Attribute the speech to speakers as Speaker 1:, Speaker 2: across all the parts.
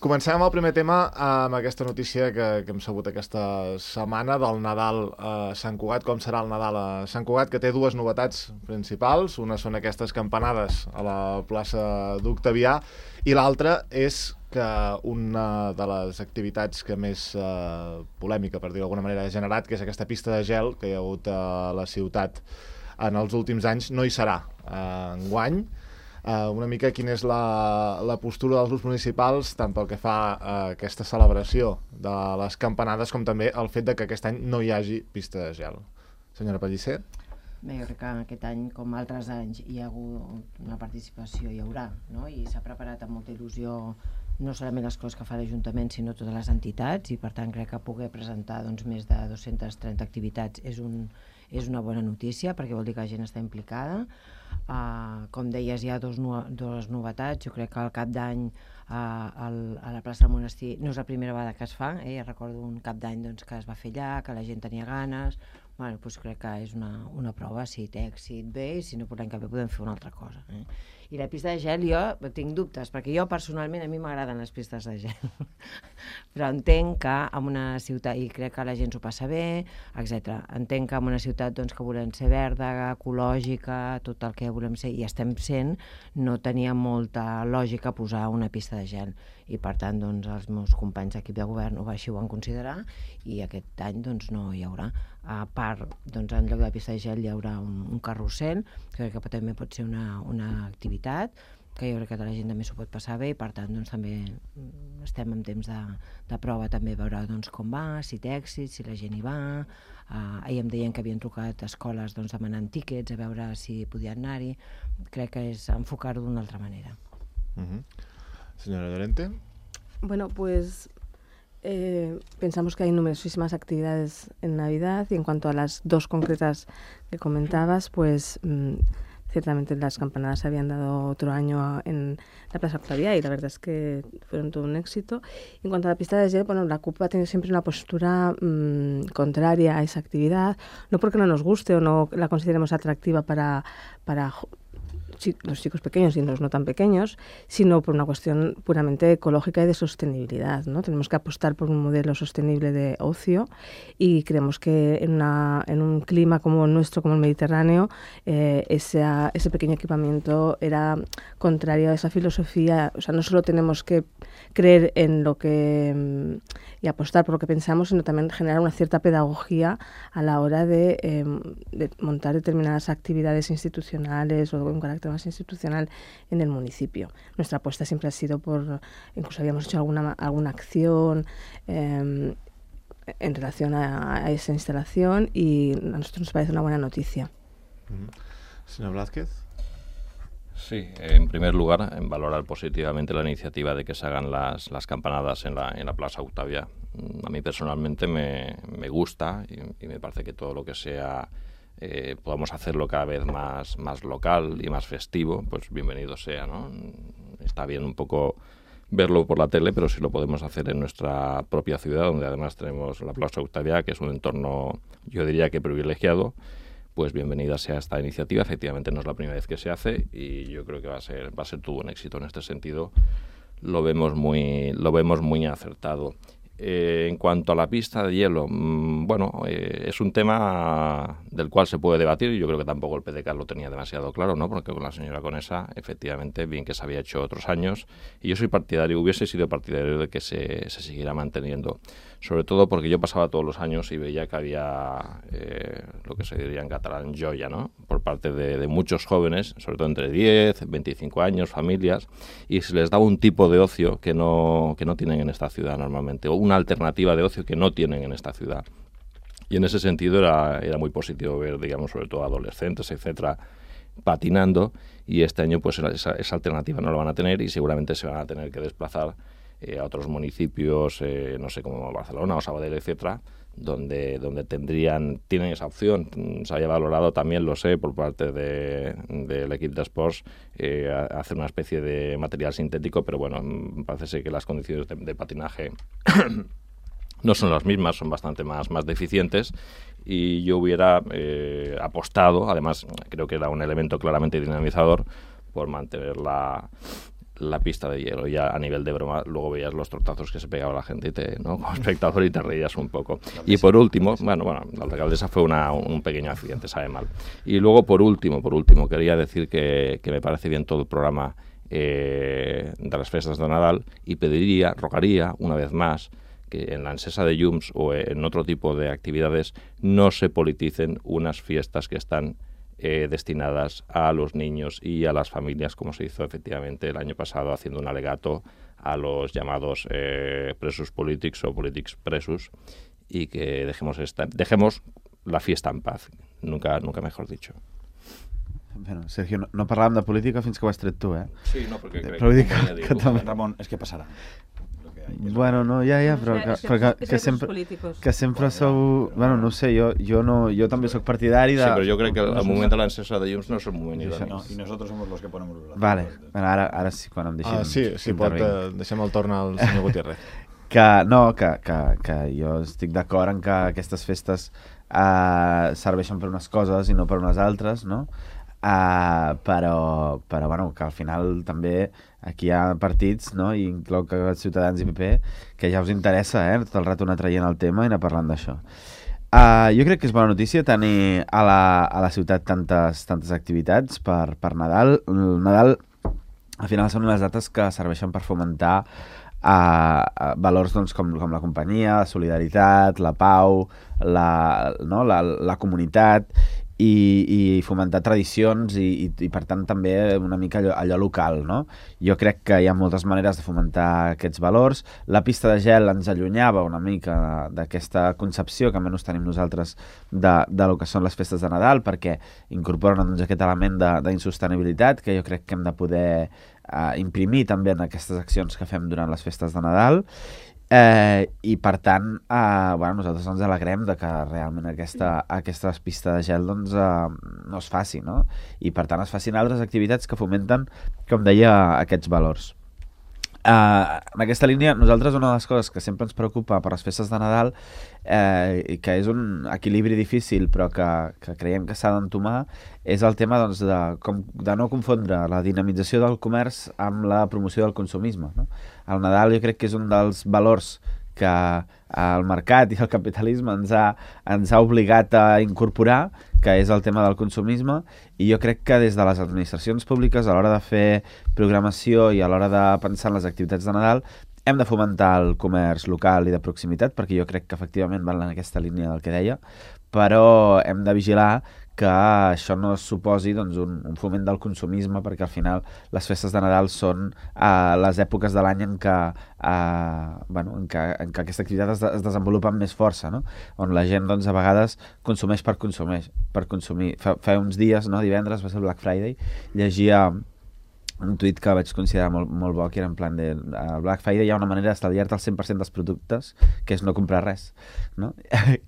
Speaker 1: Comencem amb el primer tema amb aquesta notícia que hem sabut aquesta setmana del Nadal a Sant Cugat. Com serà el Nadal a Sant Cugat, que té dues novetats principals. Una són aquestes campanades a la plaça d'Octavià i l'altra és que una de les activitats que més polèmica, per dir-ho d'alguna manera, ha generat, que és aquesta pista de gel que hi ha hagut a la ciutat en els últims anys, no hi serà enguany. Una mica quina és la postura dels grups municipals tant pel que fa a aquesta celebració de les campanades com també el fet de que aquest any no hi hagi pista de gel. Senyora Pellicer?
Speaker 2: Bé, jo crec que aquest any, com altres anys, hi ha hagut una participació, hi haurà, no? I s'ha preparat amb molta il·lusió no solament les coses que fa l'Ajuntament, sinó totes les entitats, i per tant crec que poder presentar més de 230 activitats és una bona notícia, perquè vol dir que la gent està implicada. Com deies, hi ha dues novetats. Jo crec que al cap d'any a la plaça del Monestir no és la primera vegada que es fa, ja recordo un cap d'any que es va fer allà, que la gent tenia ganes. Doncs crec que és una prova, si té èxit bé, i si no, l'any que ve podem fer una altra cosa. I la pista de gel jo tinc dubtes, perquè jo personalment a mi m'agraden les pistes de gel, però entenc que en una ciutat, i crec que la gent s'ho passa bé, etc. Entenc que en una ciutat que volem ser verda, ecològica, tot el que volem ser, i estem sent, no tenia molta lògica posar una pista de gel, i per tant els meus companys d'equip de govern així ho van considerar, i aquest any no hi haurà. A part, en lloc de la pista de gel hi haurà un carrusel, que crec que també pot ser una activitat, que jo crec que la gent també s'ho pot passar bé, i per tant també estem en temps de prova, també veure com va, si té èxit, si la gent hi va. Ahir em deien que havien trucat a escoles demanant tíquets, a veure si podien anar-hi. Crec que és enfocar-ho d'una altra manera.
Speaker 1: Señora Llorente.
Speaker 3: Bueno, pues pensamos que hay numerosísimas actividades en Navidad, y en cuanto a las dos concretas que comentabas, pues ciertamente las campanadas se habían dado otro año en la Plaza Octavià y la verdad es que fueron todo un éxito. En cuanto a la pista de gel, la CUP ha tenido siempre una postura contraria a esa actividad, no porque no nos guste o no la consideremos atractiva para los chicos pequeños y los no tan pequeños, sino por una cuestión puramente ecológica y de sostenibilidad, ¿no? Tenemos que apostar por un modelo sostenible de ocio, y creemos que en un clima como el nuestro, como el Mediterráneo, ese pequeño equipamiento era contrario a esa filosofía. O sea, no solo tenemos que creer en lo que y apostar por lo que pensamos, sino también generar una cierta pedagogía a la hora de montar determinadas actividades institucionales o un carácter más institucional en el municipio. Nuestra apuesta siempre ha sido incluso habíamos hecho alguna acción en relación a esa instalación, y a nosotros nos parece una buena noticia.
Speaker 1: Señor Blázquez.
Speaker 4: Sí, en primer lugar, en valorar positivamente la iniciativa de que se hagan las campanadas en la Plaza Octavià. A mí personalmente me gusta, y me parece que todo lo que sea podamos hacerlo cada vez más local y más festivo, pues bienvenido sea, ¿no? Está bien un poco verlo por la tele, pero si lo podemos hacer en nuestra propia ciudad, donde además tenemos la Plaza Octavià, que es un entorno, yo diría que privilegiado, pues bienvenida sea esta iniciativa. Efectivamente no es la primera vez que se hace, y yo creo que va a ser todo un éxito. En este sentido lo vemos muy acertado. En cuanto a la pista de hielo, es un tema del cual se puede debatir, y yo creo que tampoco el PDCAT lo tenía demasiado claro, ¿no? Porque con la señora Conesa, efectivamente, bien que se había hecho otros años, y yo hubiese sido partidario de que se siguiera manteniendo, sobre todo porque yo pasaba todos los años y veía que había lo que se diría en catalán joia, ¿no? Por parte de muchos jóvenes, sobre todo entre 10, 25 años, familias, y se les daba un tipo de ocio que no tienen en esta ciudad normalmente, o una alternativa de ocio que no tienen en esta ciudad. Y en ese sentido era muy positivo ver, digamos, sobre todo adolescentes, etcétera, patinando, y este año pues esa alternativa no lo van a tener, y seguramente se van a tener que desplazar a otros municipios, no sé, como Barcelona o Sabadell, etcétera, donde tienen esa opción. Se haya valorado también, lo sé, por parte del equipo de Sports, hacer una especie de material sintético, pero bueno, parece ser que las condiciones de patinaje no son las mismas, son bastante más deficientes, y yo hubiera apostado, además creo que era un elemento claramente dinamizador, por mantener la la pista de hielo. Ya a nivel de broma, luego veías los tortazos que se pegaba la gente ¿no? Como espectador y te reías un poco. Y por último, bueno, la alcaldesa fue un pequeño accidente, sabe mal. Y luego, por último, quería decir que me parece bien todo el programa de las festas de Nadal y rogaría una vez más que en la encesa de llums o en otro tipo de actividades no se politicen unas fiestas que están destinadas a los niños y a las familias, como se hizo efectivamente el año pasado, haciendo un alegato a los llamados presos políticos o polítics presos, y que dejemos la fiesta en paz, nunca mejor dicho.
Speaker 5: Bueno, Sergio, no parlàvem de política fins que ho has tret tu,
Speaker 4: Sí, no, perquè crec
Speaker 5: que també...
Speaker 6: Ramon, és que passarà.
Speaker 5: Bueno, no, però que sempre sou... Bueno, no sé, jo també sóc partidari de...
Speaker 4: Sí, però jo crec que el moment de l'encesa de llums no és el moment idoni.
Speaker 6: Y nosotros somos los que ponemos los brazos.
Speaker 5: Vale, bueno, ara sí, quan em deixem...
Speaker 1: Sí, deixem el torn al senyor Gutiérrez.
Speaker 5: Que jo estic d'acord en que aquestes festes serveixen per unes coses i no per unes altres, no? Però bueno, que al final també aquí hi ha partits, no? I inclou que Ciutadans i PP, que ja us interessa, tot el rato anar traient el tema i anar parlant d'això. Jo crec que és bona notícia tenir a la ciutat tantes activitats per Nadal. El Nadal, al final, són unes dates que serveixen per fomentar valors doncs, com la companyia, la solidaritat, la pau, la comunitat, i fomentar tradicions i per tant també una mica allò local, no? Jo crec que hi ha moltes maneres de fomentar aquests valors. La pista de gel ens allunyava una mica d'aquesta concepció que almenys tenim nosaltres de lo que són les festes de Nadal, perquè incorporen doncs, aquest element d'insostenibilitat que jo crec que hem de poder imprimir també en aquestes accions que fem durant les festes de Nadal. I per tant nosaltres ens alegrem de que realment aquesta pista de gel doncs, no es faci, no? I per tant es facin altres activitats que fomenten, com deia, aquests valors. En aquesta línia, nosaltres una de les coses que sempre ens preocupa per les festes de Nadal i que és un equilibri difícil però que creiem que s'ha d'entomar és el tema doncs, de no confondre la dinamització del comerç amb la promoció del consumisme, no? El Nadal jo crec que és un dels valors que el mercat i el capitalisme ens ha obligat a incorporar, que és el tema del consumisme, i jo crec que des de les administracions públiques, a l'hora de fer programació i a l'hora de pensar en les activitats de Nadal, hem de fomentar el comerç local i de proximitat, perquè jo crec que efectivament van en aquesta línia del que deia, però hem de vigilar que això no suposi doncs, un foment del consumisme, perquè al final les festes de Nadal són les èpoques de l'any en què aquesta activitat es desenvolupa amb més força, no? On la gent doncs, a vegades consumeix per consumir. Fa uns dies, no? Divendres, va ser el Black Friday, llegia un tuit que vaig considerar molt bo, que era en plan de al Black Friday hi ha una manera d'estalviar-te el 100% dels productes, que és no comprar res, no?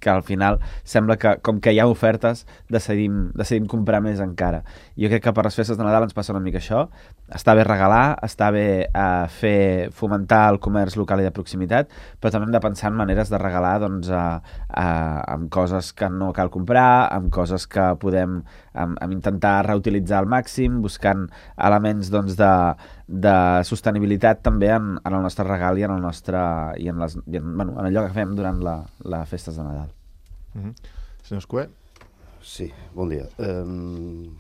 Speaker 5: Que al final sembla que com que hi ha ofertes decidim comprar més encara. Jo crec que per les festes de Nadal ens passa una mica això. Està bé regalar, està bé fomentar el comerç local i de proximitat, però també hem de pensar en maneres de regalar doncs, amb coses que no cal comprar, amb coses que podem amb intentar reutilitzar al màxim, buscant elements doncs, de sostenibilitat també en el nostre regal i en allò que fem durant les festes de Nadal.
Speaker 1: Senyor Escué?
Speaker 7: Sí, bon dia.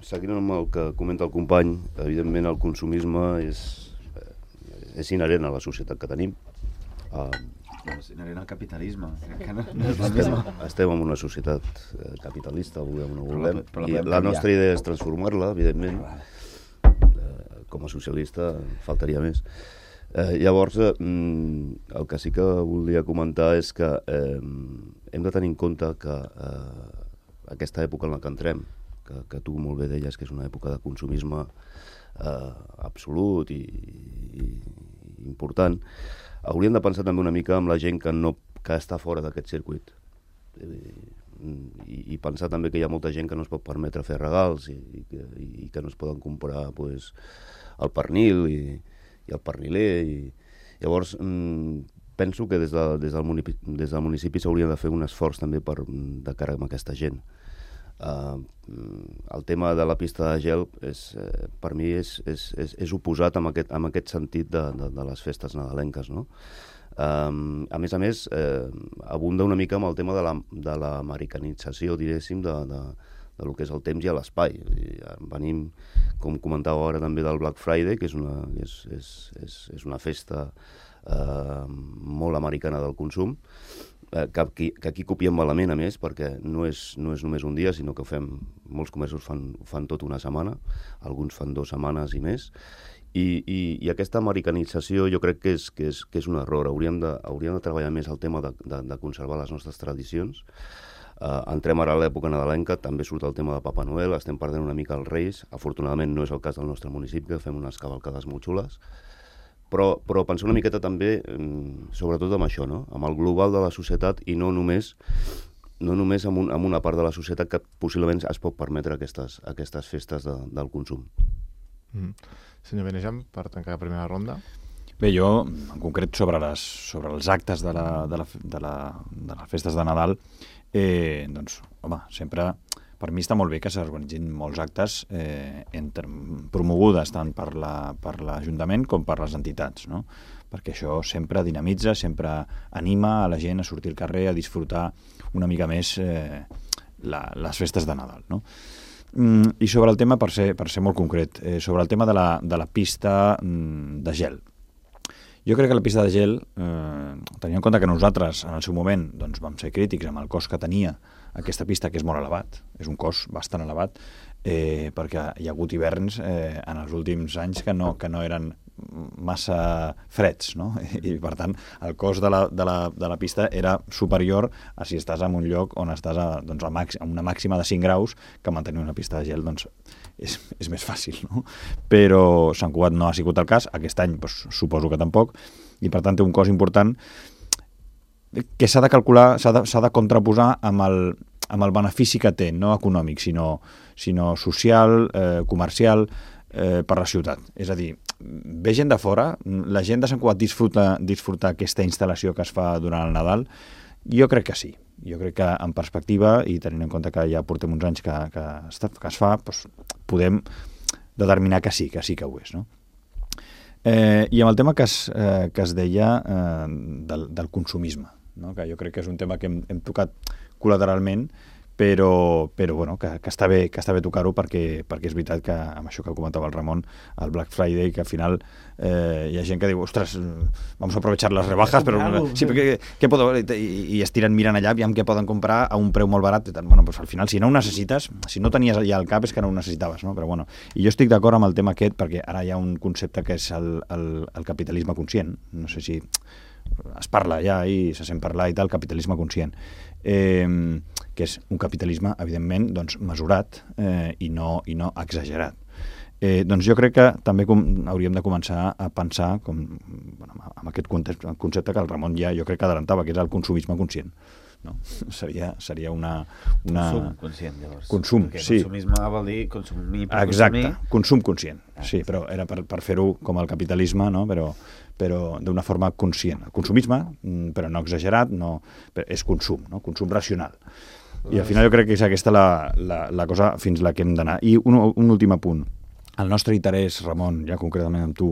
Speaker 7: Seguint amb el que comenta el company, evidentment el consumisme és inherent a la societat que tenim.
Speaker 5: És inherent al capitalisme.
Speaker 7: Estem en una societat capitalista, volem o no volem, i la nostra idea és transformar-la, evidentment. Com a socialista faltaria més. Llavors, el que sí que volia comentar és que hem de tenir en compte que aquesta època en la que entrem, que tu molt bé deies que és una època de consumisme absolut i important, hauríem de pensar també una mica amb la gent que està fora d'aquest circuit. I pensar també que hi ha molta gent que no es pot permetre fer regals i que no es poden comprar el pernil i el perniler. Llavors, penso que des del municipi s'hauria de fer un esforç també de cara a aquesta gent. El tema de la pista de gel per mi és oposat amb aquest sentit de les festes nadalenques, no? A més, abunda una mica amb el tema de l'americanització, diguéssim, de lo que és el temps i l'espai. Venim, com comentàveu ara també, del Black Friday, que és una festa molt americana del consum, que aquí copiem malament, a més, perquè no és només un dia, sinó que molts comerços fan tot una setmana, alguns fan 2 setmanes i més, i aquesta americanització jo crec que és un error. Hauríem de treballar més el tema de conservar les nostres tradicions. Entrem ara a l'època nadalenca, també surt el tema de Papa Noel, estem perdent una mica els Reis, afortunadament no és el cas del nostre municipi, que fem unes cavalcades molt xules, però pensar una miqueta també, sobretot amb això, no? Amb el global de la societat i no només amb una part de la societat que possiblement es pot permetre aquestes festes del consum.
Speaker 1: Senyor Benejam, per tancar la primera ronda.
Speaker 6: Bé, jo, en concret, sobre els actes de les festes de Nadal, doncs, home, sempre, per mi està molt bé que s'organitzin molts actes promogudes tant per l'Ajuntament com per les entitats, no? Perquè això sempre dinamitza, sempre anima a la gent a sortir al carrer, a disfrutar una mica més les festes de Nadal, no? I sobre el tema, per ser molt concret, sobre el tema de la pista de gel. Jo crec que la pista de gel, tenint en compte que nosaltres en el seu moment doncs, vam ser crítics amb el cost que tenia aquesta pista, que és molt elevat, és un cost bastant elevat, perquè hi ha hagut hiverns en els últims anys que no eren massa freds, no? I per tant el cost de la pista era superior a si estàs en un lloc on estàs a una màxima de 5 graus, que mantenir una pista de gel doncs, és més fàcil, no? Però Sant Cugat no ha sigut el cas, aquest any doncs, suposo que tampoc, i per tant té un cost important que s'ha de calcular, s'ha de contraposar amb el benefici que té, no econòmic, sinó social, comercial, per la ciutat. És a dir, ve gent de fora, la gent de Sant Cugat disfruta aquesta instal·lació que es fa durant el Nadal? Jo crec que sí. Jo crec que en perspectiva, i tenint en compte que ja portem uns anys que es fa, doncs podem determinar que sí que ho és, no? I amb el tema que es deia del consumisme, no? Que jo crec que és un tema que hem tocat col·lateralment, però bueno, que està bé tocar-ho perquè és veritat que amb això que comentava el Ramon, el Black Friday, que al final hi ha gent que diu, ostres, vamos a aprovechar las rebajas, però sí, què puedo? I es tiren mirant allà, aviam què poden comprar a un preu molt barat, bueno, pues al final si no ho necessites, si no tenies ja al cap és que no ho necessitaves, no? Però bueno, i jo estic d'acord amb el tema aquest perquè ara hi ha un concepte que és el capitalisme conscient, no sé si es parla ja i se sent parlar i tal, capitalisme conscient, que és un capitalisme, evidentment, doncs, mesurat i no exagerat. Doncs jo crec que també hauríem de començar a pensar amb aquest concepte que el Ramon ja jo crec que adelantava, que és el consumisme conscient. No? Seria una...
Speaker 5: Consum conscient, llavors.
Speaker 6: Consum,
Speaker 5: perquè
Speaker 6: sí.
Speaker 5: Consumisme vol dir consumir per
Speaker 6: Exacte,
Speaker 5: consumir.
Speaker 6: Consum conscient. Sí, però era per fer-ho com el capitalisme, no? Però d'una forma conscient. El consumisme, però no exagerat, és consum, no? Consum racional. I al final jo crec que és aquesta la cosa fins la que hem d'anar. I un últim apunt. El nostre interès, Ramon, ja concretament amb tu,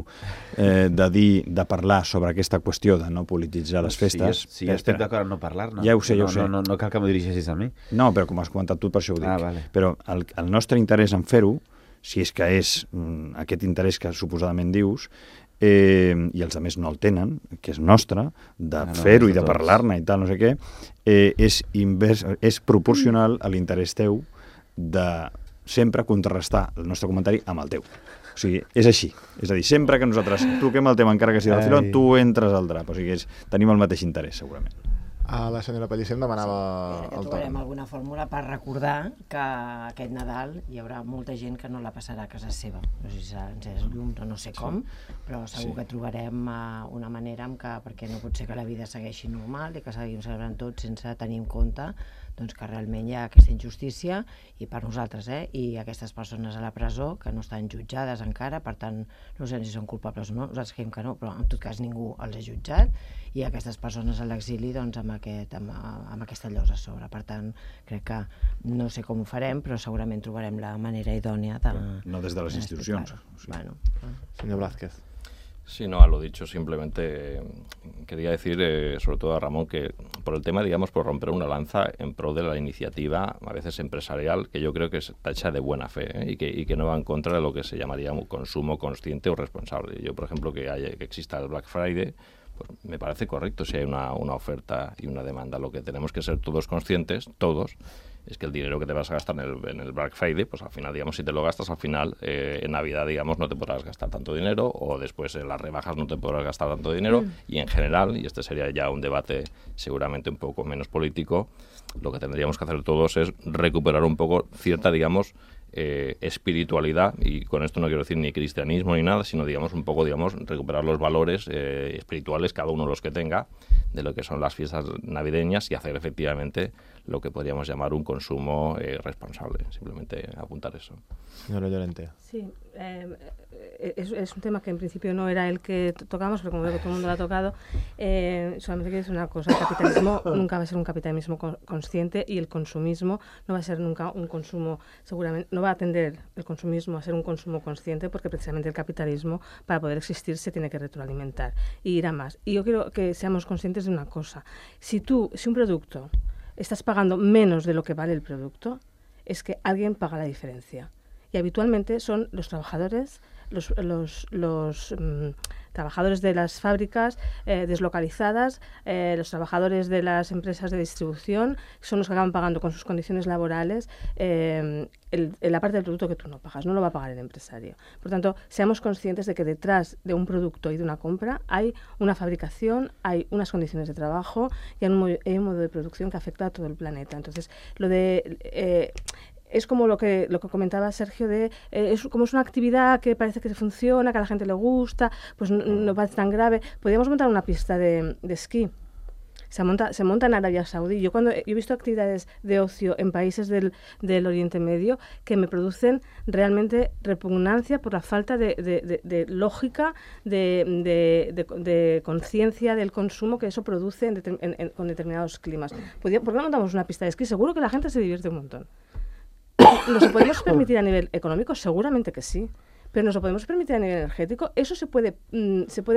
Speaker 6: de parlar sobre aquesta qüestió de no polititzar les festes...
Speaker 5: Sí, jo estic d'acord en no parlar-ne.
Speaker 6: Ja ho sé.
Speaker 5: No cal que m'ho dirigeixis a mi.
Speaker 6: No, però com has comentat tu, per això ho dic.
Speaker 5: Vale.
Speaker 6: Però el nostre interès en fer-ho, si és que és aquest interès que suposadament dius, i els altres no el tenen, que és nostre, de fer-ho i de parlar-ne i tal, no sé què, és proporcional a l'interès teu de sempre contrarrestar el nostre comentari amb el teu. O sigui, és així. És a dir, sempre que nosaltres toquem el tema, encara que sigui del filó, tu entres al drap. O sigui, tenim el mateix interès, segurament.
Speaker 1: La senyora Pellicer em demanava el torn.
Speaker 2: Trobarem alguna fórmula per recordar que aquest Nadal hi haurà molta gent que no la passarà a casa seva. No sé si serà encès llums o no sé com, però segur que trobarem una manera perquè no pot ser que la vida segueixi normal i que seguim celebrant tot sense tenir en compte doncs que realment hi ha aquesta injustícia i per nosaltres, i aquestes persones a la presó que no estan jutjades encara, per tant no sabem si són culpables o no, nosaltres creiem que no, però en tot cas ningú els ha jutjat, i aquestes persones a l'exili doncs amb amb aquesta llosa a sobre. Per tant, crec que no sé com ho farem, però segurament trobarem la manera idònia de...
Speaker 6: No des de les institucions.
Speaker 2: Bueno.
Speaker 1: Señor Blázquez.
Speaker 4: Sí, no, a lo dicho, simplemente quería decir, sobre todo a Ramón, que por el tema, digamos, por romper una lanza en pro de la iniciativa, a veces empresarial, que yo creo que está hecha de buena fe, y que no va en contra de lo que se llamaría un consumo consciente o responsable. Yo, por ejemplo, que exista el Black Friday, pues me parece correcto si hay una oferta y una demanda. Lo que tenemos que ser todos conscientes, todos, es que el dinero que te vas a gastar en el Black Friday, pues al final, digamos, si te lo gastas, al final en Navidad, digamos, no te podrás gastar tanto dinero, o después en las rebajas no te podrás gastar tanto dinero, y en general, y este sería ya un debate seguramente un poco menos político, lo que tendríamos que hacer todos es recuperar un poco cierta, digamos, espiritualidad, y con esto no quiero decir ni cristianismo ni nada, sino digamos un poco, digamos, recuperar los valores espirituales, cada uno los que tenga, de lo que son las fiestas navideñas, y hacer efectivamente lo que podríamos llamar un consumo responsable. Simplemente apuntar eso.
Speaker 1: Señora Llorente.
Speaker 3: Sí, es un tema que en principio no era el que tocamos, pero como veo que todo el mundo lo ha tocado, solamente quiero decir una cosa: el capitalismo nunca va a ser un capitalismo consciente, y el consumismo no va a ser nunca un consumo, seguramente no va a tender el consumismo a ser un consumo consciente, porque precisamente el capitalismo, para poder existir, se tiene que retroalimentar y ir a más. Y yo quiero que seamos conscientes de una cosa: si un producto estás pagando menos de lo que vale el producto, es que alguien paga la diferencia. Y habitualmente son los trabajadores, los trabajadores de las fábricas deslocalizadas, los trabajadores de las empresas de distribución, son los que acaban pagando con sus condiciones laborales la parte del producto que tú no pagas, no lo va a pagar el empresario. Por tanto, seamos conscientes de que detrás de un producto y de una compra hay una fabricación, hay unas condiciones de trabajo y hay un modo de producción que afecta a todo el planeta. Entonces, es como lo que comentaba Sergio, como es una actividad que parece que funciona, que a la gente le gusta, pues no parece tan grave. Podríamos montar una pista de esquí. Se monta en Arabia Saudí. Yo he visto actividades de ocio en países del Oriente Medio que me producen realmente repugnancia por la falta de lógica, de conciencia del consumo que eso produce con determinados climas. ¿Por qué no montamos una pista de esquí? Seguro que la gente se divierte un montón. ¿Nos lo podemos permitir a nivel económico? Seguramente que sí. Pero ¿nos lo podemos permitir a nivel energético? ¿Eso se puede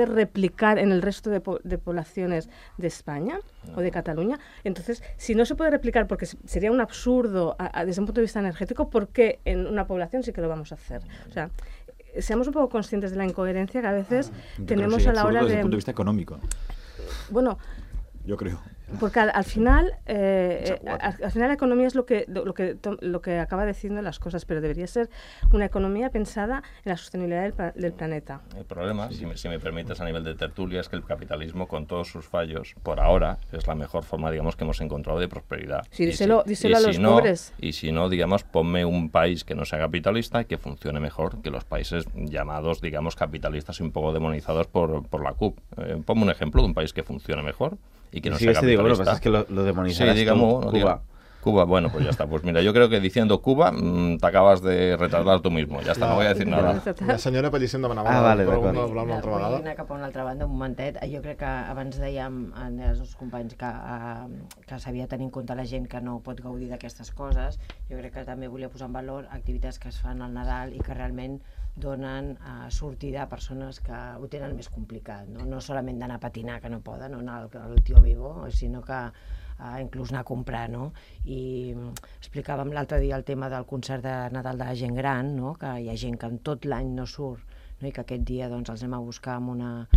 Speaker 3: replicar en el resto de poblaciones de España o de Cataluña? Entonces, si no se puede replicar porque sería un absurdo desde un punto de vista energético, ¿por qué en una población sí que lo vamos a hacer? O sea, seamos un poco conscientes de la incoherencia que a veces tenemos a la hora de...
Speaker 6: Desde el punto de vista económico.
Speaker 3: Bueno...
Speaker 6: Yo creo.
Speaker 3: Porque al final la economía es lo que acaba decidiendo las cosas, pero debería ser una economía pensada en la sostenibilidad del planeta.
Speaker 4: El problema, si me permites, a nivel de tertulia, es que el capitalismo, con todos sus fallos, por ahora, es la mejor forma, digamos, que hemos encontrado de prosperidad.
Speaker 3: Sí, díselo a los pobres.
Speaker 4: Y si no, digamos, ponme un país que no sea capitalista y que funcione mejor que los países llamados, digamos, capitalistas y un poco demonizados por la CUP. Ponme un ejemplo de un país que funcione mejor y que no sea capitalista.
Speaker 5: Digo, lo que pasa es que lo demonizarás tú, Cuba.
Speaker 4: Cuba, bueno, pues ya está. Pues mira, yo creo que diciendo Cuba te acabas de retardar tú mismo. Ja està, no voy a decir nada.
Speaker 1: La senyora Pellicer demanava
Speaker 5: vale,
Speaker 1: una altra vegada.
Speaker 2: Vull anar cap a una altra banda, un momentet. Jo crec que abans dèiem als nostres companys que s'havia de tenir en compte la gent que no pot gaudir d'aquestes coses. Jo crec que també volia posar en valor activitats que es fan al Nadal i que realment donen sortida a persones que ho tenen més complicat, no solament d'anar a patinar, que no poden, o anar al Tio Vivo, sinó que inclús anar a comprar, no? I explicàvem l'altre dia el tema del concert de Nadal de la gent gran, no? Que hi ha gent que en tot l'any no surt, no? I que aquest dia doncs, els anem a buscar amb una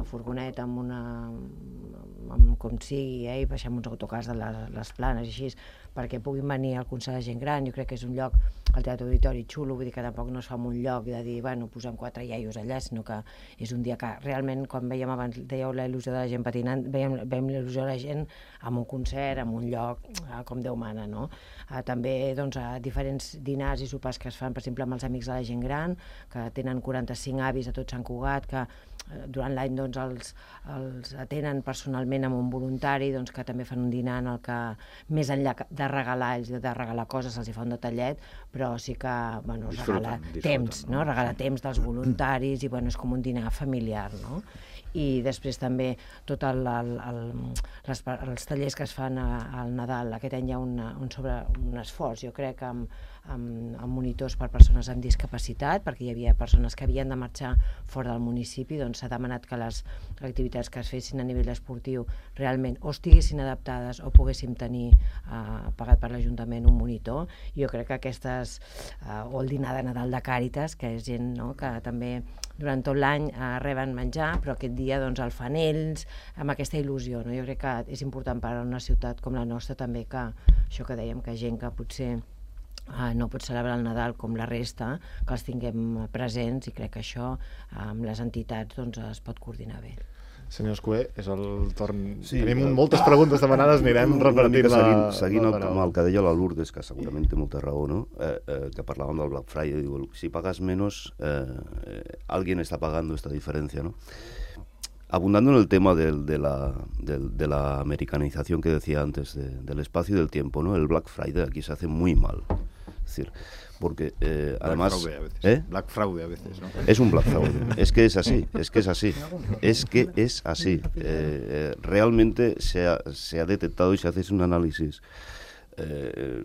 Speaker 2: furgoneta, amb com sigui, i baixem uns autocars de les Planes i així, perquè puguin venir al concert de gent gran. Jo crec que és un lloc, el Teatre Auditori, xulo, vull dir que tampoc no es fa en un lloc de dir, bueno, posem 4 iaios allà, sinó que és un dia que realment, quan veiem abans, dèieu la il·lusió de la gent patinant, veiem la il·lusió de la gent amb un concert, en un lloc com Déu mana, no? També doncs, diferents dinars i sopars que es fan, per exemple, amb els amics de la gent gran, que tenen 45 avis a tot Sant Cugat, que durant l'any doncs, els atenen personalment amb un voluntari, doncs, que també fan un dinar en el que, més enllà de regalar, ells de regalar coses, se'ls fa un detallet, però sí que es regala temps, no? Regala temps dels voluntaris i és com un dinar familiar, no? i després també tot els tallers que es fan al Nadal. Aquest any hi ha un esforç, jo crec, amb monitors per persones amb discapacitat, perquè hi havia persones que havien de marxar fora del municipi, doncs s'ha demanat que les activitats que es fessin a nivell esportiu realment o estiguessin adaptades o poguéssim tenir pagat per l'Ajuntament un monitor. Jo crec que aquestes, o el dinar de Nadal de Càritas, que és gent, no?, que també durant tot l'any reben menjar, però aquest dia doncs el fan ells amb aquesta il·lusió, no? Jo crec que és important per a una ciutat com la nostra també que això que dèiem, que gent que potser no pot celebrar el Nadal com la resta, que els tinguem presents, i crec que això amb les entitats doncs, es pot coordinar bé.
Speaker 1: Senyor Escuer, és el torn... Sí, tenim moltes preguntes demanades, anirem repartint
Speaker 7: seguint amb el que deia la Lourdes, que segurament té molta raó, no? Que parlàvem del Black Friday, digo, si pagas menos, alguien está pagando esta diferencia, ¿no? Abundando en el tema de la americanización que decía antes, del espacio y del tiempo, ¿no? El Black Friday aquí se hace muy mal. Es decir, porque además...
Speaker 6: Fraude a veces. Black Fraude a veces, ¿no?
Speaker 7: Es un Black Fraude. Es que es así. Realmente se ha detectado, y si haces un análisis,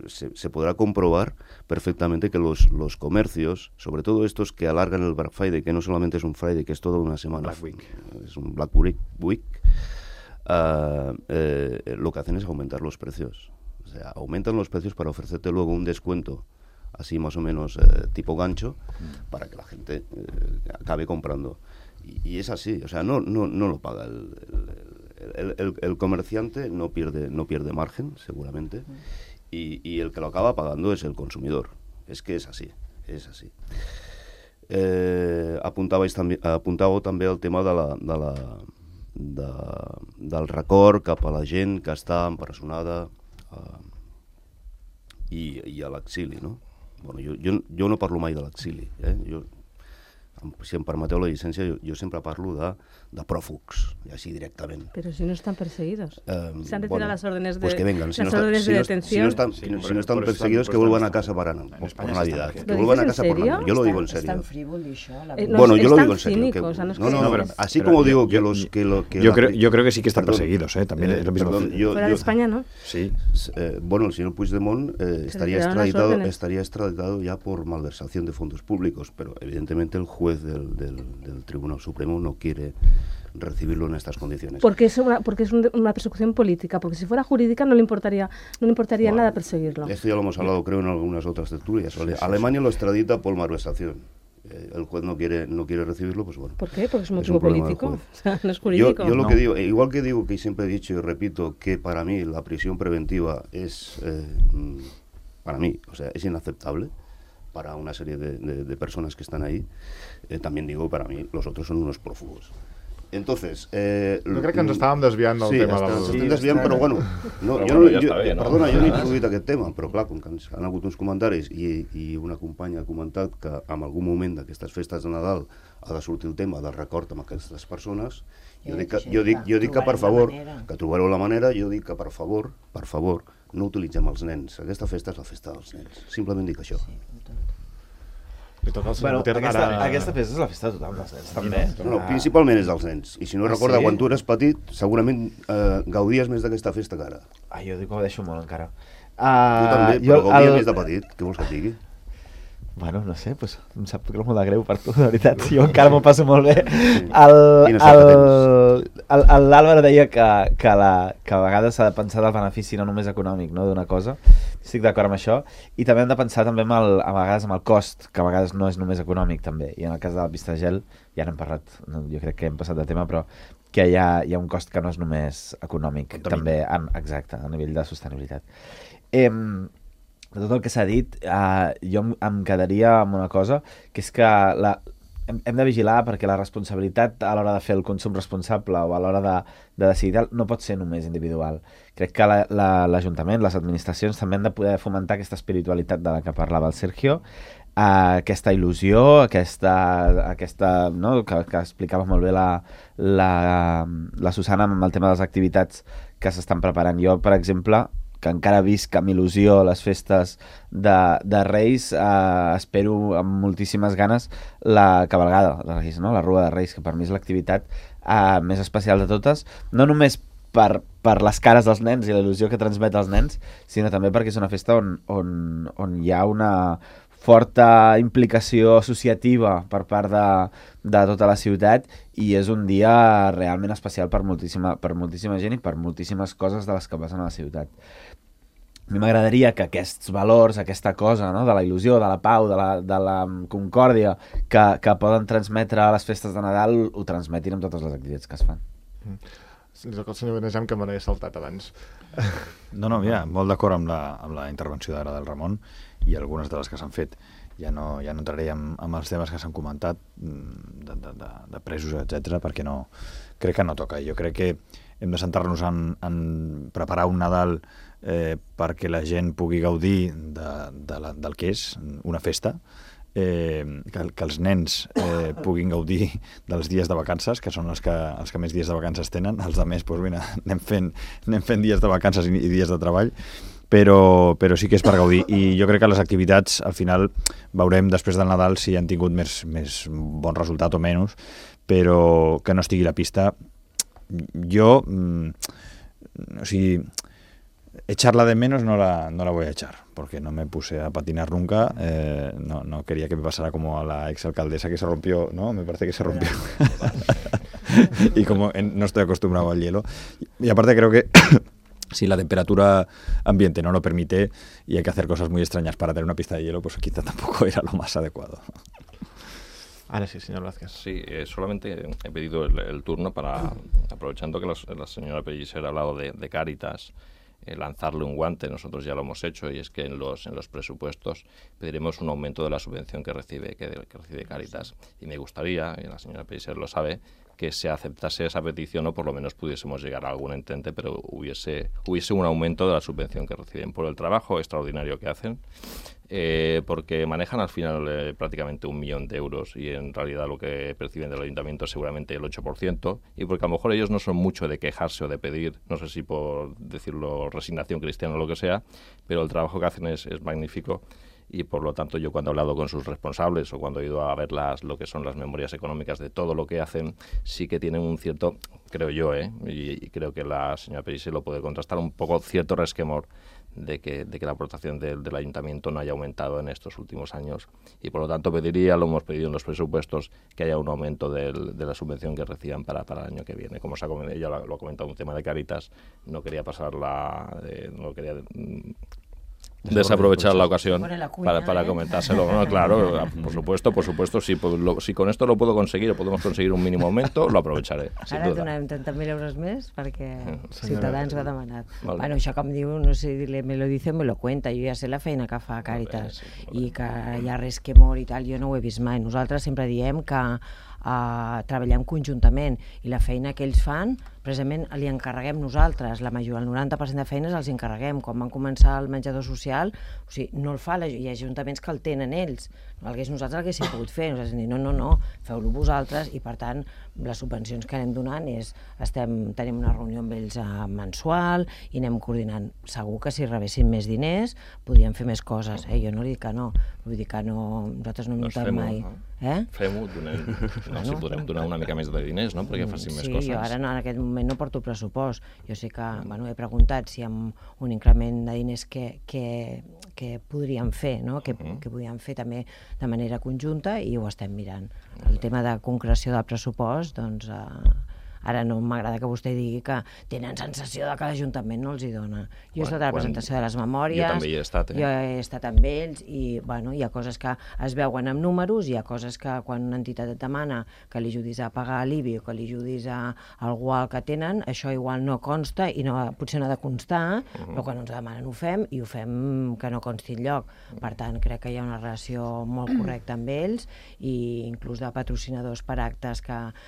Speaker 7: se podrá comprobar perfectamente que los comercios, sobre todo estos que alargan el Black Friday, que no solamente es un Friday, que es toda una semana,
Speaker 6: Black Week.
Speaker 7: Es un Black Week, lo que hacen es aumentar los precios. O sea, aumentan los precios para ofrecerte luego un descuento así más o menos tipo gancho, para que la gente acabe comprando. Y es así, o sea, no lo paga el comerciante, no pierde margen, seguramente, y el que lo acaba pagando es el consumidor. Es que es así. Apuntàveu també el tema del record cap a la gent que està empresonada i a l'exili, no? Bueno, jo no parlo mai de l'exili, si em permeteu la llicència, jo sempre parlo de pròfugs, així directament.
Speaker 3: Pero si no están perseguidos. Se han retirado las órdenes de,
Speaker 7: pues que vengan.
Speaker 3: las órdenes de detención.
Speaker 7: Si no están perseguidos, que vuelvan a casa por Navidad. Que vuelvan a casa por Navidad. Yo lo digo en serio.
Speaker 2: Es tan frívolo això.
Speaker 7: Bueno, yo lo digo en serio.
Speaker 3: Cínico,
Speaker 7: así como digo que los...
Speaker 6: Yo creo que sí que están perseguidos, también es lo mismo.
Speaker 3: Fuera de España, ¿no?
Speaker 6: Sí.
Speaker 7: Bueno, el señor Puigdemont estaría extraditado ya por malversación de fondos públicos, pero evidentemente el juez del Tribunal Supremo no quiere recibirlo en estas condiciones.
Speaker 3: Porque es una persecución política, porque si fuera jurídica no le importaría nada perseguirlo.
Speaker 7: Esto ya lo hemos hablado, creo, en algunas otras tertulias. Alemania lo extradita por malversación. El juez no quiere recibirlo, pues bueno.
Speaker 3: ¿Por qué? Porque es un motivo político, o sea, no es jurídico.
Speaker 7: Yo lo que digo, igual que digo que siempre he dicho y repito que para mí la prisión preventiva es, para mí, o sea, es inaceptable para una serie de personas que están ahí. También digo, para mí, los otros son unos prófugos. Entonces...
Speaker 1: jo crec que ens estàvem desviant del tema del...
Speaker 7: Sí, estem desviant, però bueno... Perdona, jo no he introduït aquest tema, però clar, com que han hagut uns comentaris i una companya ha comentat que en algun moment d'aquestes festes de Nadal ha de sortir el tema del record amb aquestes persones, jo dic que per favor, que trobareu la manera, jo dic que per favor, no utilitzem els nens. Aquesta festa és la festa dels nens. Simplement dic això.
Speaker 5: Aquesta festa és la festa de tothom, dels nens, també.
Speaker 7: No, principalment és dels nens. I si no recorda, quan tu eres petit, segurament gaudies més d'aquesta festa que ara.
Speaker 5: Jo dic que ho deixo molt, encara.
Speaker 7: Tu també, però gaudies més de petit. Què vols que et digui?
Speaker 5: Bueno, no sé, pues, em sap molt de greu per tu, de veritat. Jo encara m'ho passo molt bé. L'Àlvaro deia que a vegades s'ha de pensar del benefici no només econòmic, no, d'una cosa. Estic d'acord amb això. I també hem de pensar també a vegades amb el cost, que a vegades no és només econòmic, també. I en el cas de la pista de gel, ja n'hem parlat, jo crec que hem passat de tema, però que hi ha un cost que no és només econòmic, també, exacte, a nivell de sostenibilitat. De tot el que s'ha dit, jo em quedaria amb una cosa, que és que hem de vigilar perquè la responsabilitat a l'hora de fer el consum responsable o a l'hora de decidir no pot ser només individual. Crec que l'Ajuntament, les administracions també han de poder fomentar aquesta espiritualitat de la que parlava el Sergio, aquesta il·lusió, aquesta no? que explicava molt bé la Susana amb el tema de les activitats que s'estan preparant. Jo, per exemple, que encara visc amb il·lusió les festes de Reis, espero amb moltíssimes ganes la cabalgada de Reis, no? La Rua de Reis, que per mi és l'activitat més especial de totes, no només per les cares dels nens i la il·lusió que transmet als nens, sinó també perquè és una festa on hi ha una forta implicació associativa per part de tota la ciutat i és un dia realment especial per moltíssima gent i per moltíssimes coses de les que passen a la ciutat. A mi m'agradaria que aquests valors, aquesta cosa, no?, de la il·lusió, de la pau, de la concòrdia que poden transmetre a les festes de Nadal ho transmetin amb totes les activitats que es fan.
Speaker 1: El senyor Benejam, que me n'he saltat abans.
Speaker 6: No, mira, molt d'acord amb la intervenció d'ara del Ramon i algunes de les que s'han fet. Ja no entraré amb els temes que s'han comentat de presos, etc, perquè crec que no toca. Jo crec que hem de centrar-nos en preparar un Nadal perquè la gent pugui gaudir del que és una festa, que els nens puguin gaudir dels dies de vacances, que són els que més dies de vacances tenen. Els altres, doncs mira, anem fent dies de vacances i dies de treball, però sí que és per gaudir. I jo crec que les activitats, al final, veurem després del Nadal si han tingut més bon resultat o menys, però que no estigui a la pista. Jo, o sigui, echarla de menos no la voy a echar, porque no me puse a patinar nunca, no quería que me pasara como a la exalcaldesa que se rompió, ¿no? Me parece que se rompió. Y como no estoy acostumbrado al hielo. Y aparte creo que si la temperatura ambiente no lo permite y hay que hacer cosas muy extrañas para tener una pista de hielo, pues quizá tampoco era lo más adecuado.
Speaker 1: Ahora sí, señor Vázquez.
Speaker 4: Sí, solamente he pedido el turno para, aprovechando que la señora Pellicer ha hablado de Cáritas, lanzarle un guante. Nosotros ya lo hemos hecho, y es que en los presupuestos pediremos un aumento de la subvención que recibe Cáritas. Y me gustaría, y la señora Pellicer lo sabe, que se aceptase esa petición o por lo menos pudiésemos llegar a algún entente, pero hubiese un aumento de la subvención que reciben por el trabajo extraordinario que hacen, porque manejan al final prácticamente 1 millón de euros y en realidad lo que perciben del ayuntamiento es seguramente el 8%, y porque a lo mejor ellos no son mucho de quejarse o de pedir, no sé si por decirlo resignación cristiana o lo que sea, pero el trabajo que hacen es magnífico. Y por lo tanto yo cuando he hablado con sus responsables o cuando he ido a ver lo que son las memorias económicas de todo lo que hacen, sí que tienen un cierto, creo yo, y creo que la señora Pellicer lo puede contrastar, un poco cierto resquemor de que la aportación del ayuntamiento no haya aumentado en estos últimos años, y por lo tanto lo hemos pedido en los presupuestos, que haya un aumento de la subvención que reciban para el año que viene. Como ella lo ha comentado, un tema de Cáritas, no quería no quería desaprovechar la ocasión para comentárselo. No, claro, por supuesto, si con esto lo puedo conseguir o podemos conseguir un mínimo aumento, lo aprovecharé.
Speaker 2: Ara donem 30.000 euros més perquè Ciutadans ho ha demanat. Bueno, això com diu, no sé, me lo dice, me lo cuenta. Jo ja sé la feina que fa Càritas i que hi ha resquemor i tal, jo no ho he vist mai. Nosaltres sempre diem que treballem conjuntament i la feina que ells fan precisament li encarreguem nosaltres, el 90% de feines els encarreguem. Quan van començar el menjador social, o sigui, no el fa, hi ha ajuntaments que el tenen ells, nosaltres l'haguéssim pogut fer, nosaltres hem dit no, feu-lo vosaltres, i per tant les subvencions que anem donant tenim una reunió amb ells mensual i anem coordinant. Segur que si rebessin més diners podríem fer més coses, jo no dic que no, vull dir que no, nosaltres no hem notat mai.
Speaker 4: Fem-ho, si podrem donar una mica més de diners, no?, perquè facin més coses.
Speaker 2: Sí, jo ara en aquest moment no porto pressupost. Jo sé que he preguntat si amb un increment de diners que podríem fer, que podríem fer també de manera conjunta, i ho estem mirant. El tema de concreció del pressupost, doncs ara no m'agrada que vostè digui que tenen sensació de que l'Ajuntament no els hi dona. Jo he estat a la presentació de les memòries,
Speaker 4: jo també hi he estat,
Speaker 2: jo he estat amb ells, i hi ha coses que es veuen amb números, hi ha coses que quan una entitat et demana que li ajudis a pagar l'IBI o que li ajudis a algú que tenen, això igual no consta i potser no ha de constar, però quan ens demanen ho fem, i ho fem que no consti enlloc. Per tant, crec que hi ha una relació molt correcta amb ells, i inclús de patrocinadors per actes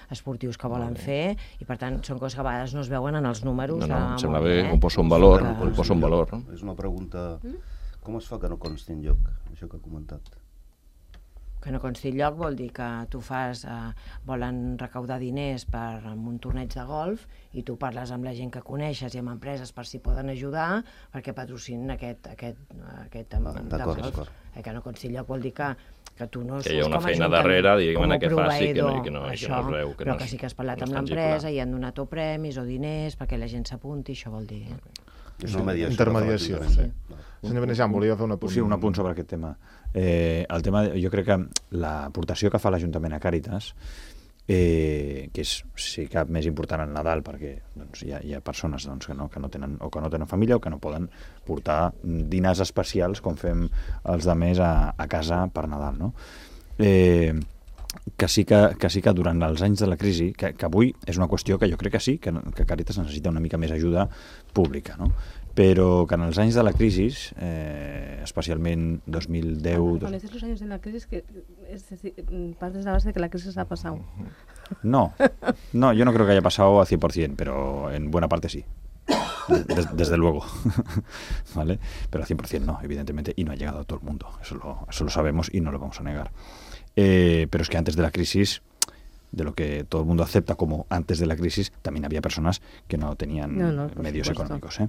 Speaker 2: esportius que volen fer, i per tant són coses que a vegades no es veuen en els números.
Speaker 4: Em sembla bé, ho poso en valor.
Speaker 7: És una pregunta, com es fa que no consti enlloc, això que ha comentat?
Speaker 2: Que no consti enlloc vol dir que tu volen recaudar diners per un torneig de golf, i tu parles amb la gent que coneixes i amb empreses per si poden ajudar perquè patrocinin aquest de golf. Que no consti enlloc vol dir que que tu no
Speaker 4: que hi ha una
Speaker 2: com a
Speaker 4: feina
Speaker 2: ajuntament,
Speaker 4: darrere, diguem-ne,
Speaker 2: com a
Speaker 4: que faci que no
Speaker 2: proveïdor,
Speaker 4: es veu, que
Speaker 2: però
Speaker 4: no
Speaker 2: que
Speaker 4: és-
Speaker 2: sí que has parlat
Speaker 4: no és
Speaker 2: amb
Speaker 4: tangible.
Speaker 2: l'empresa i han donat o premis o diners perquè la gent s'apunti, això vol dir.
Speaker 7: És una mediació.
Speaker 1: Intermediació.
Speaker 7: que fa l'Ajuntament.
Speaker 1: Senyor Benejam, volia fer un apunt.
Speaker 6: Sí, un apunt sobre aquest tema. El tema, jo crec que l'aportació que fa l'Ajuntament a Càritas, que és, si cap, més important al Nadal, perquè doncs, hi ha persones doncs, que no tenen, o que no tenen família o que no poden portar dinars especials com fem els de més a casa per Nadal, no? Que sí que durant els anys de la crisi, que avui és una qüestió que jo crec que sí, que Càritas necessita una mica més ajuda pública, no? Però que en els anys de la crisi, especialment 2010...
Speaker 3: Cuando dices los años de la crisis, es decir, partes de la base de que la crisis ha pasado.
Speaker 6: No, yo no creo que haya pasado al 100%, pero en buena parte sí. Desde luego. ¿Vale? Pero al 100% no, evidentemente, y no ha llegado a todo el mundo. Eso lo sabemos y no lo vamos a negar. Pero es que antes de la crisis, de lo que todo el mundo acepta como antes de la crisis, también había personas que no tenían medios económicos.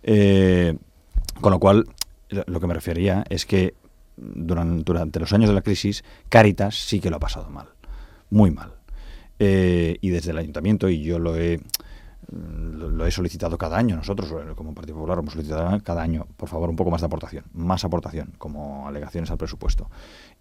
Speaker 6: Con lo cual, lo que me refería es que durante los años de la crisis, Càritas sí que lo ha pasado mal, muy mal. Y desde el ayuntamiento, y yo lo he solicitado cada año, nosotros como Partido Popular hemos solicitado cada año, por favor, un poco más aportación, como alegaciones al presupuesto,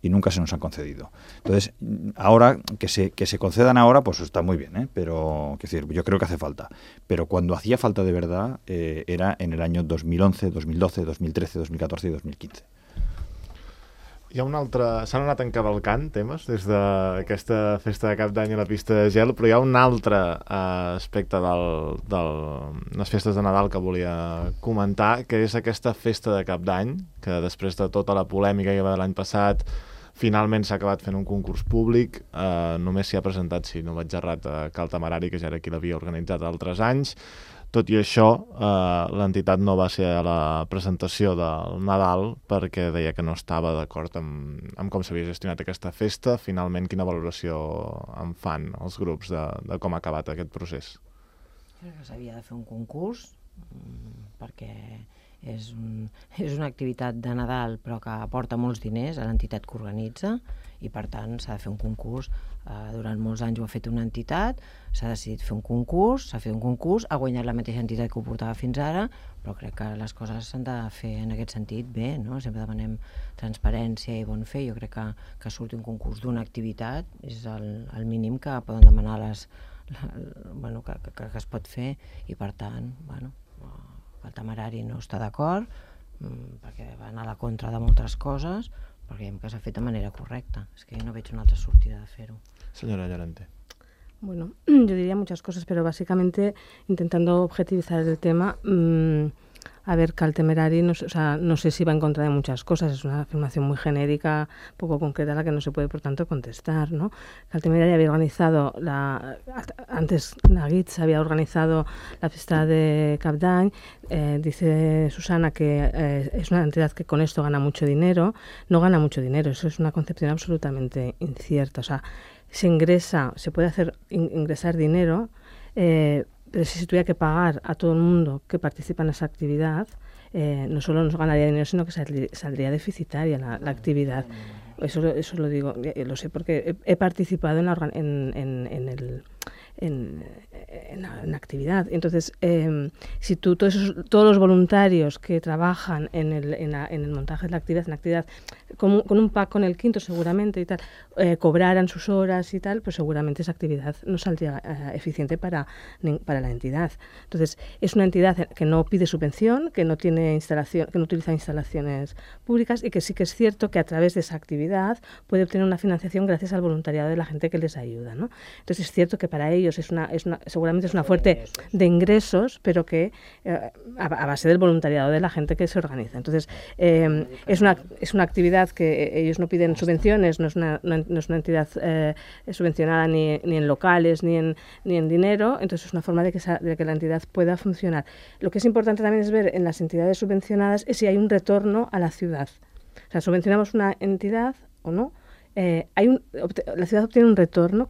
Speaker 6: y nunca se nos han concedido. Entonces, ahora, que se concedan ahora, pues está muy bien, pero es decir, yo creo que hace falta. Pero cuando hacía falta de verdad, era en el año 2011, 2012, 2013, 2014 y 2015.
Speaker 1: Hi ha un altre... S'han anat encavalcant temes des d'aquesta festa de Cap d'Any a la pista de gel, però hi ha un altre aspecte de les festes de Nadal que volia comentar, que és aquesta festa de Cap d'Any, que després de tota la polèmica que va de l'any passat, finalment s'ha acabat fent un concurs públic, només s'hi ha presentat, si no vaig errat, Cal Temerari, que ja era qui l'havia organitzat altres anys. Tot i això, l'entitat no va ser a la presentació del Nadal perquè deia que no estava d'acord amb com s'havia gestionat aquesta festa. Finalment, quina valoració en fan els grups de com ha acabat aquest procés?
Speaker 2: Crec que s'havia de fer un concurs perquè és una activitat de Nadal però que aporta molts diners a l'entitat que organitza i per tant s'ha de fer un concurs. Durant molts anys ho ha fet una entitat, s'ha decidit fer un concurs, s'ha fet un concurs, ha guanyat la mateixa entitat que ho portava fins ara, però crec que les coses s'han de fer en aquest sentit bé, no? Sempre demanem transparència i bon fer. Jo crec que surti un concurs d'una activitat és el mínim que poden demanar que es pot fer i per tant, el Temerari no està d'acord perquè va anar a la contra de moltes coses, però creiem que s'ha fet de manera correcta. És que jo no veig una altra sortida de fer-ho.
Speaker 1: Señora Llorente.
Speaker 3: Bueno, yo diría muchas cosas, pero básicamente intentando objetivizar el tema, a ver, Cal Temerari, no sé si va en contra de muchas cosas, es una afirmación muy genérica, poco concreta, a la que no se puede, por tanto, contestar, ¿no? Cal Temerari había organizado, antes Nagitz había organizado la fiesta de Cap d'Any, dice Susana que es una entidad que con esto gana mucho dinero, no gana mucho dinero, eso es una concepción absolutamente incierta, o sea, se puede hacer ingresar dinero, pero si se tuviera que pagar a todo el mundo que participa en esa actividad, no solo nos ganaría dinero, sino que saldría deficitaria la actividad. Eso lo digo, lo sé porque he participado en la actividad. Entonces, si tú todos los voluntarios que trabajan en el montaje de la actividad, con un pack con el quinto seguramente y tal, cobraran sus horas y tal, pues seguramente esa actividad no saldría eficiente para la entidad. Entonces, es una entidad que no pide subvención, que no tiene que no utiliza instalaciones públicas y que sí que es cierto que a través de esa actividad puede obtener una financiación gracias al voluntariado de la gente que les ayuda, ¿no? Entonces es cierto que para ellos seguramente es una fuente de ingresos, pero que a base del voluntariado de la gente que se organiza. Entonces es una actividad que ellos no piden subvenciones, no es una entidad subvencionada ni en locales ni en dinero, entonces es una forma de que la entidad pueda funcionar. Lo que es importante también es ver en las entidades subvencionadas es si hay un retorno a la ciudad. O sea, subvencionamos una entidad o no, la ciudad obtiene un retorno,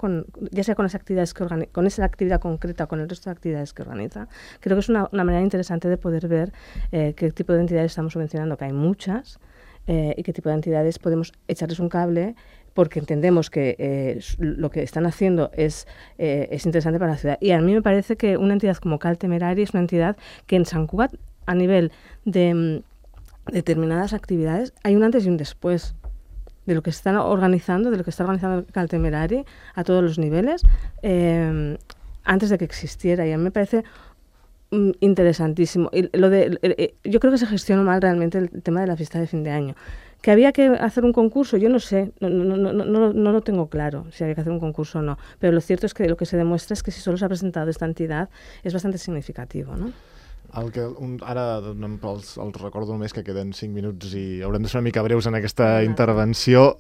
Speaker 3: ya sea con las actividades con esa actividad concreta o con el resto de actividades que organiza. Creo que es una manera interesante de poder ver qué tipo de entidades estamos subvencionando, que hay muchas, y qué tipo de entidades podemos echarles un cable, porque entendemos que lo que están haciendo es interesante para la ciudad. Y a mí me parece que una entidad como Cal Temerari es una entidad que en Sant Cugat, a nivel de determinadas actividades, hay un antes y un después de lo que están organizando, de lo que está organizando Cal Temerari a todos los niveles, antes de que existiera. Y a mí me parece interesantísimo. Y yo creo que se gestionó mal realmente el tema de la fiesta de fin de año. ¿Que había que hacer un concurso? Yo no sé, no lo tengo claro si había que hacer un concurso o no, pero lo cierto es que lo que se demuestra es que si solo s'ha presentat esta entidad és bastante significativo, no?
Speaker 1: Ara els recordo només que queden 5 minuts i haurem de ser una mica breus en aquesta intervenció.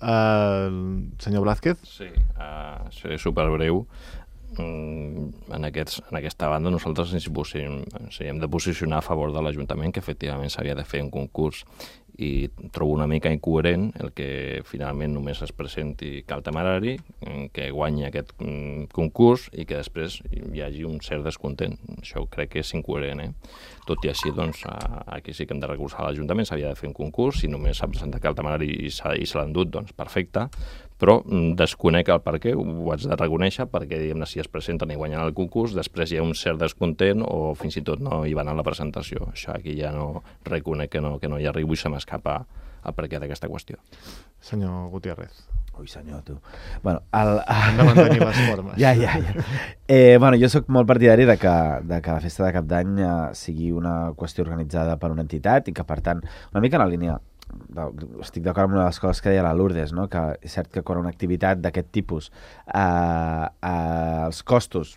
Speaker 1: Senyor Blázquez?
Speaker 4: Sí, seré superbreu. En aquesta banda nosaltres ens hem de posicionar a favor de l'Ajuntament, que efectivament s'havia de fer un concurs, i trobo una mica incoherent el que finalment només es presenti Cal Temerari, que guanyi aquest concurs i que després hi hagi un cert descontent. Això crec que és incoherent, Tot i així, doncs, aquí sí que hem de recolzar l'Ajuntament, s'havia de fer un concurs, si només s'ha presentat Cal Temerari i se l'ha endut, doncs perfecte, però desconec el per què, ho haig de reconèixer, perquè, diguem-ne, si es presenten i guanyen el concurs, després hi ha un cert descontent o fins i tot no hi van a la presentació. Això aquí ja no reconec que no hi arribo i se m'escapa el per què d'aquesta qüestió.
Speaker 1: Senyor Gutiérrez.
Speaker 5: Ui, senyor, tu. Bueno,
Speaker 1: hem de mantenir les formes.
Speaker 5: Ja. Bueno, jo sóc molt partidari de que la festa de Cap d'Any sigui una qüestió organitzada per una entitat i que, per tant, una mica en la línia estic d'acord amb una de les coses que deia la Lourdes, no? Que és cert que quan una activitat d'aquest tipus els costos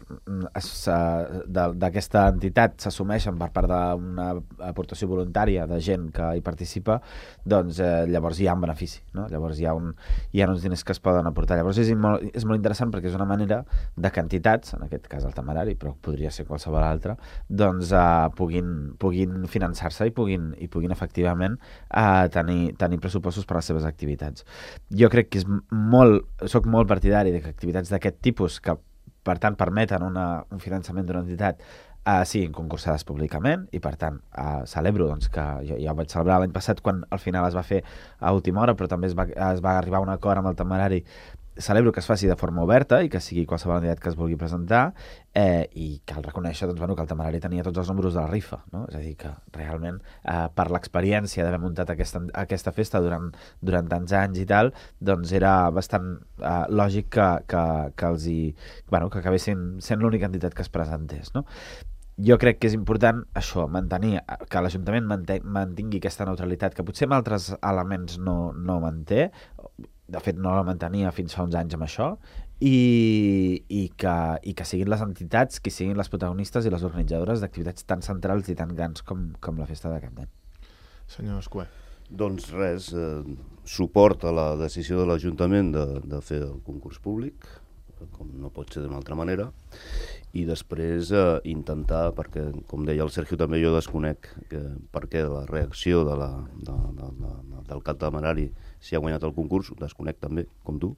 Speaker 5: d'aquesta entitat s'assumeixen per part d'una aportació voluntària de gent que hi participa, doncs llavors hi ha un benefici, no? Llavors hi ha uns diners que es poden aportar. Llavors és molt interessant perquè és una manera de que entitats, en aquest cas el Temerari, però podria ser qualsevol altra, doncs puguin finançar-se i puguin efectivament tenir pressupostos per a les seves activitats. Jo crec que soc molt partidari de que activitats d'aquest tipus, que per tant permeten un finançament d'una entitat, siguin concursades públicament i per tant celebro doncs, que jo ho vaig celebrar l'any passat quan al final es va fer a última hora, però també es va arribar a un acord amb el Temerari. Celebro que es faci de forma oberta i que sigui qualsevol entitat que es vulgui presentar, i cal reconèixer que el Temerari tenia tots els números de la rifa, no? És a dir, que realment per l'experiència d'haver muntat aquesta festa durant tants anys i tal, doncs era bastant lògic que acabessin sent l'única entitat que es presentés, no? Jo crec que és important això, mantenir que l'Ajuntament mantingui aquesta neutralitat que potser amb altres elements no manté. De fet, no la mantenia fins fa uns anys amb això, i que siguin les entitats qui siguin les protagonistes i les organitzadores d'activitats tan centrals i tan grans com la festa de Cap d'Any.
Speaker 1: Senyor Escuer.
Speaker 7: Doncs res, suport a la decisió de l'Ajuntament de fer el concurs públic, com no pot ser d'una altra manera, i després intentar, perquè, com deia el Sergio també, jo desconec per què la reacció del Cal Temerari si ha guanyat el concurs, ho desconec també, com tu.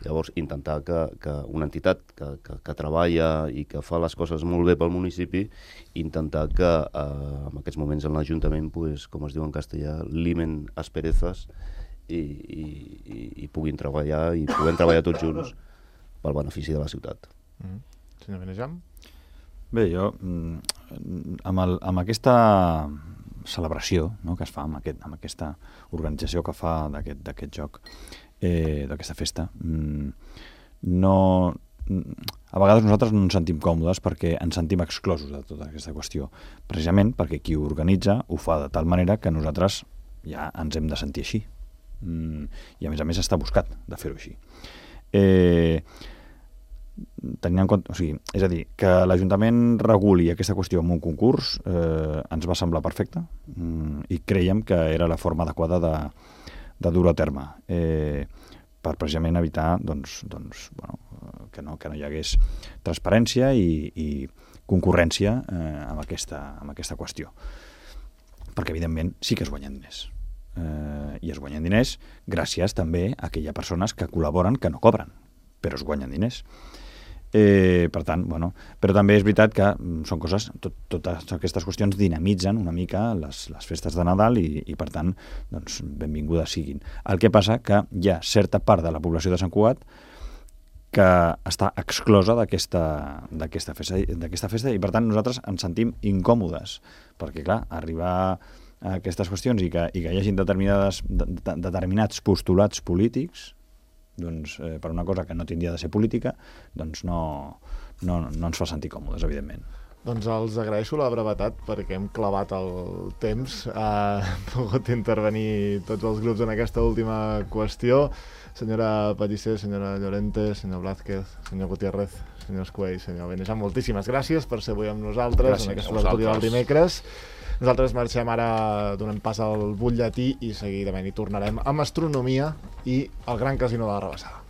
Speaker 7: Llavors, intentar que una entitat que treballa i que fa les coses molt bé pel municipi, intentar que en aquests moments en l'Ajuntament, com es diu en castellà, limen asperezas i puguin treballar i puguem treballar tots junts pel benefici de la ciutat.
Speaker 1: Senyor Benejam?
Speaker 6: Bé, jo, amb aquesta celebració, no, que es fa, amb aquesta organització que fa d'aquest joc, d'aquesta festa, a vegades nosaltres no ens sentim còmodes perquè ens sentim exclosos de tota aquesta qüestió, precisament perquè qui ho organitza ho fa de tal manera que nosaltres ja ens hem de sentir així, i a més està buscat de fer-ho així. Tenint en compte, és a dir, que l'Ajuntament reguli aquesta qüestió amb un concurs ens va semblar perfecte, i creiem que era la forma adequada de dur-ho a terme, per precisament evitar que no hi hagués transparència i concurrència amb aquesta qüestió, perquè evidentment sí que es guanyen diners, i es guanyen diners gràcies també a aquelles persones que col·laboren, que no cobren, però es guanyen diners. Per tant, bueno, però també és veritat que són coses, totes aquestes qüestions dinamitzen una mica les festes de Nadal i per tant, doncs, benvingudes siguin. El que passa que hi ha certa part de la població de Sant Cugat que està exclosa d'aquesta festa i per tant nosaltres ens sentim incòmodes, perquè clar, arribar a aquestes qüestions i que hi hagi determinats postulats polítics, doncs, per una cosa que no tindria de ser política, doncs no ens fa sentir còmodes, evidentment.
Speaker 1: Doncs els agraeixo la brevetat perquè hem clavat el temps. Han pogut intervenir tots els grups en aquesta última qüestió. Senyora Pellicer, senyora Llorente, senyor Blázquez, senyor Gutiérrez, senyor Escuell, senyor Benejam, moltíssimes gràcies per ser avui amb nosaltres en aquesta tertúlia del dimecres. Nosaltres marxem ara, donem pas al butlletí i seguidament hi tornarem amb astronomia i el Gran Casino de la Rabassada.